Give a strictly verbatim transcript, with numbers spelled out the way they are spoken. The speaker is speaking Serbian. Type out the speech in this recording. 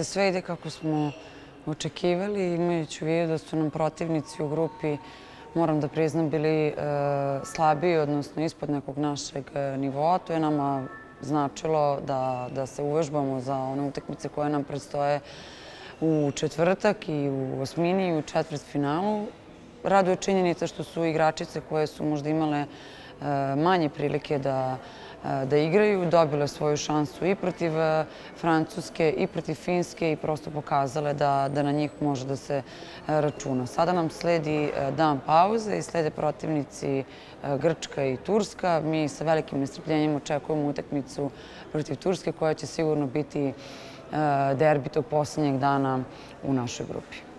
Sve ide kako smo očekivali, imajući u vidu da su nam protivnici u grupi, moram da priznam, bili slabiji, odnosno ispod nekog našeg nivoa. To je nama značilo da se uvežbamo za one utakmice koje nam predstoje u četvrtak i u osmini i u četvrtfinalu. Raduje činjenica što su igračice koje su možda imale manje prilike da da igraju, dobile svoju šansu i protiv Francuske i protiv Finske i prosto pokazale da na njih može da se računa. Sada nam sledi dan pauze i slede protivnici Grčka i Turska. Mi sa velikim nestrpljenjem očekujemo utakmicu protiv Turske koja će sigurno biti derbi tog poslednjeg dana u našoj grupi.